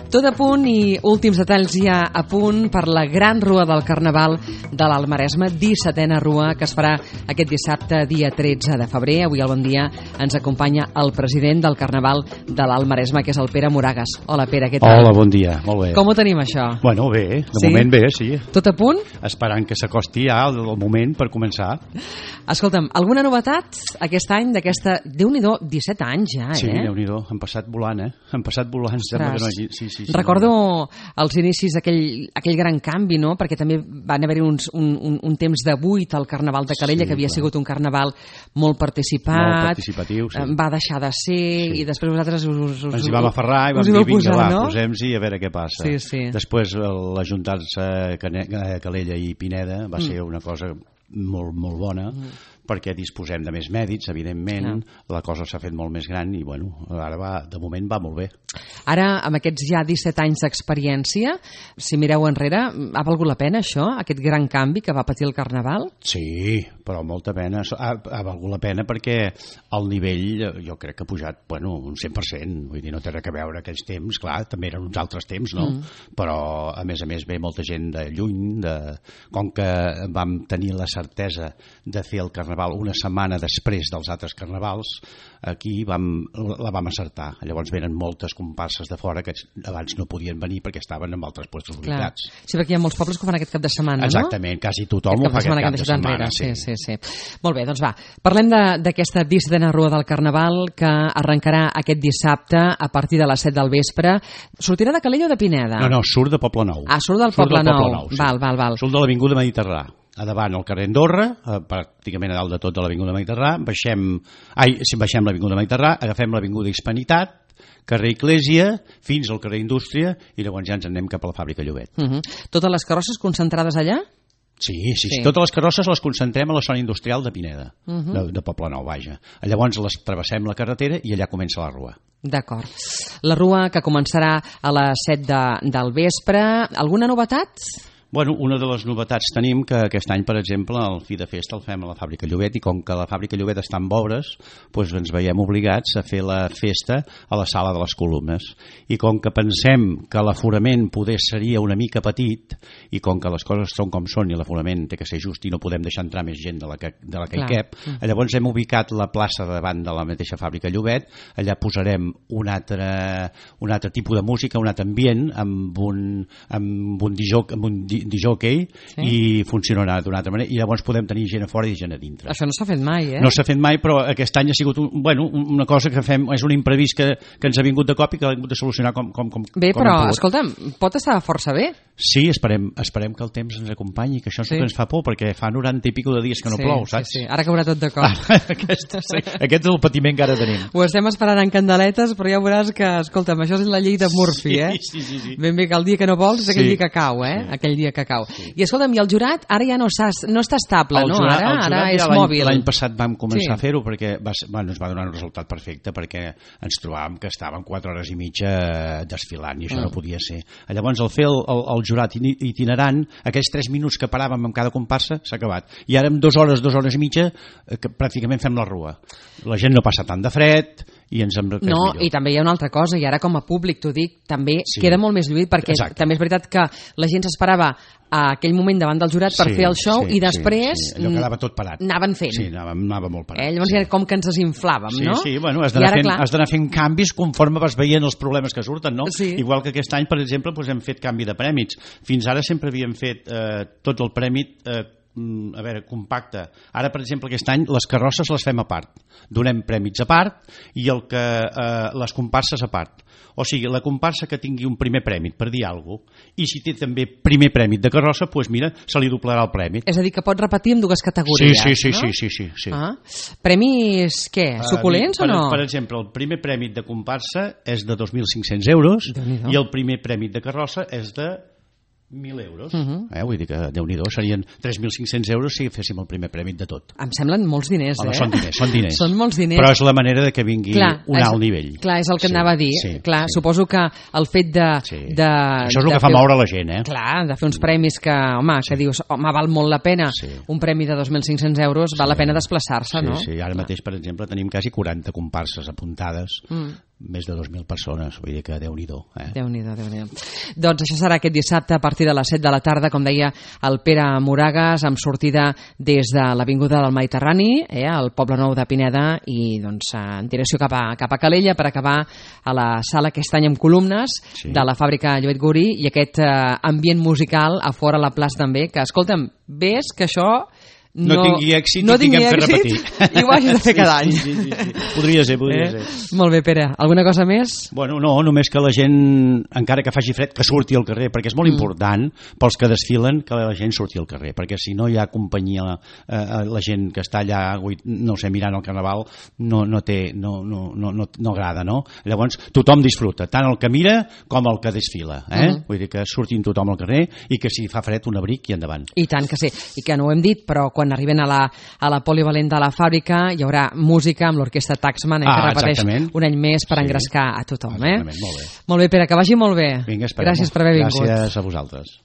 Tot a punt i últims detalls ja a punt per la gran rua del Carnaval de l'Alt Maresme, 17a rua, que es farà aquest dissabte, dia 13 de febrer. Avui al Bon Dia ens acompanya el president del Carnaval de l'Alt Maresme, que és el Pere Moragas. Hola, Pere, què tal? Hola, bon dia, molt bé. Com ho tenim, això? Bueno, bé, de moment bé, sí. Tot a punt? Esperant que s'acosti ja el moment per començar. Escolta'm, alguna novetat aquest any d'aquesta... Déu-n'hi-do, 17 anys ja, Sí, Déu-n'hi-do, han passat volant, Han passat volant, sembla que no hagi... Sí. Recordo els inicis aquell gran canvi, no? Perquè també van haver-hi un temps de buit al Carnaval de Calella, que havia sigut un carnaval molt participat. Molt participatiu, sí. Va deixar de ser i després vosaltres ens hi vam aferrar i vam dir, vinga, posem-s'hi a veure què passa. Sí. Després l'ajuntar-se Calella i Pineda va ser una cosa molt, molt bona, perquè disposem de més mèdits, evidentment, la cosa s'ha fet molt més gran i, bueno, ara de moment va molt bé. Ara, amb aquests ja 17 anys d'experiència, si mireu enrere, ha valgut la pena això, aquest gran canvi que va patir el Carnaval? Sí, però molta pena. Ha valgut la pena perquè el nivell, jo crec que ha pujat, bueno, un 100%, vull dir, no té res a veure aquells temps, clar, també eren uns altres temps, no? Però, a més ve molta gent de lluny, com que vam tenir la certesa de fer el Carnaval una setmana després dels altres carnavals, aquí la vam acertar. Llavors venen moltes comparses de fora que abans no podien venir perquè estaven en altres puestos ubicats. Sí, perquè hi ha molts pobles que ho fan aquest cap de setmana, Exactament, quasi tothom ho fa aquest cap de setmana. Sí. Molt bé, doncs va. Parlem d'aquesta 17a rua del Carnaval que arrencarà aquest dissabte a partir de les 7 del vespre. Sortirà de Calella o de Pineda? No, surt de Poblenou. Surt del Poblenou. Sí. Val. Surt de l'Avinguda Mediterrà. A davant al carrer Andorra, pràcticament a dalt de tot de l'Avinguda Mediterrà, baixem l'Avinguda Mediterrà, agafem l'Avinguda Hispanitat, carrer Eclèsia, fins al carrer Indústria, i llavors ja ens anem cap a la fàbrica Llobet. Totes les carrosses concentrades allà? Sí. Totes les carrosses les concentrem a la zona industrial de Pineda, de Poblenou, vaja. Llavors les travessem la carretera i allà comença la rua. D'acord. La rua que començarà a les 7 del vespre. Alguna novetat? Bueno, una de les novetats tenim que aquest any, per exemple, el fi de festa el fem a la fàbrica Llobet, i com que la fàbrica Llobet està en obres, doncs ens veiem obligats a fer la festa a la sala de les columnes. I com que pensem que l'aforament poder seria una mica petit, i com que les coses són com són i l'aforament té que ser just i no podem deixar entrar més gent de la que hi cap, llavors hem ubicat la plaça davant de la mateixa fàbrica Llobet. Allà posarem un altre tipus de música, un altre ambient, amb un disjockey, i funcionarà d'una altra manera, i llavors podem tenir gent a fora i gent a dintre. Això no s'ha fet mai, No s'ha fet mai, però aquest any ha sigut una cosa que fem, és un imprevist que ens ha vingut de cop i que l'hem hagut de solucionar com bé, però, escolta'm, pot estar força bé. Sí, esperem que el temps ens acompanyi, que això és el que ens fa por, perquè fa 90 i pico de dies que no plou, saps? Sí. Ara caurà tot de cop. Aquest és el patiment que ara tenim. Ho estem esperant en candeletes, però ja veuràs que, escolta'm, això és la llei de Murphy, Sí. Ben bé que el dia que no vols és aquell dia que cau, aquell dia que cau. I escolta'm, i el jurat ara ja no està estable, no? Ara és mòbil. L'any passat vam començar a fer-ho perquè ens va donar un resultat perfecte, perquè ens trobàvem que estàvem 4 hores i mitja desfilant i això no podia ser. Llavors, al fer el jurat itinerant, aquells 3 minuts que paràvem amb cada comparsa s'ha acabat. I ara en 2 hores i mitja que pràcticament fem la rua. La gent no passa tant de fred i ens hem No, i també hi ha una altra cosa, i ara com a públic t'ho dic, també queda molt més lluït, perquè també és veritat que la gent s'esperava a aquell moment davant del jurat per fer el show i després allò quedava tot parat. Anaven fent. Sí, anava molt parat. Llavors era com que ens desinflàvem, no? Sí, bueno, has d'anar fent canvis conforme vas veient els problemes que surten, no? Igual que aquest any, per exemple, hem fet canvi de prèmits. Fins ara sempre havíem fet tot el prèmit compacte. Ara, per exemple, aquest any les carrosses les fem a part. Donem prèmits a part i les comparses a part. O sigui, la comparsa que tingui un primer prèmit, per dir alguna cosa, i si té també primer prèmit de carrossa, doncs mira, se li doblarà el prèmit. És a dir, que pot repetir en 2 categories, no? Sí. Premis, què? Suculents o no? Per exemple, el primer prèmit de comparsa és de 2.500 euros i el primer prèmit de carrossa és de 1.000 euros. Vull dir que, Déu-n'hi-do, serien 3.500 euros si féssim el primer prèmit de tot. Em semblen molts diners, Són diners. Són molts diners. Però és la manera de que vingui un alt nivell. Clar, és el que anava a dir. Suposo que el fet de... Això és el que fa moure la gent, Clar, de fer uns premis que dius, val molt la pena. Un premi de 2.500 euros val la pena desplaçar-se, no? Sí, ara mateix, per exemple, tenim quasi 40 comparses apuntades més de 2.000 persones, vull dir que Déu-n'hi-do. Déu-n'hi-do, Déu-n'hi-do. Doncs això serà aquest dissabte a partir de les 7 de la tarda, com deia el Pere Moragas, amb sortida des de l'Avinguda del Mediterrani, al Poble Nou de Pineda, i doncs en direcció cap a Calella, per acabar a la sala aquest any amb columnes de la fàbrica Lluet Guri, i aquest ambient musical a fora a la plaça també, que escolta'm, ves que això no tingui èxit i tinguem que repetir. I ho hagis de fer cada any. Sí. Podria ser. Molt bé, Pere. Alguna cosa més? Bueno, no, només que la gent, encara que faci fred, que surti al carrer, perquè és molt important pels que desfilen que la gent surti al carrer, perquè si no hi ha companyia, la gent que està allà, no sé, mirant el Carnaval, no agrada, no? Llavors, tothom disfruta, tant el que mira com el que desfila. Vull dir que surtin tothom al carrer i que si fa fred un abric i endavant. I tant que sí. I que no ho hem dit, però quan arriben a la polivalent de la fàbrica hi haurà música amb l'orquestra Taxman, que repeteix un any més per engrescar a tothom. Molt bé. Molt bé, Pere, que vagi molt bé. Vinga, gràcies per haver vingut. Gràcies a vosaltres.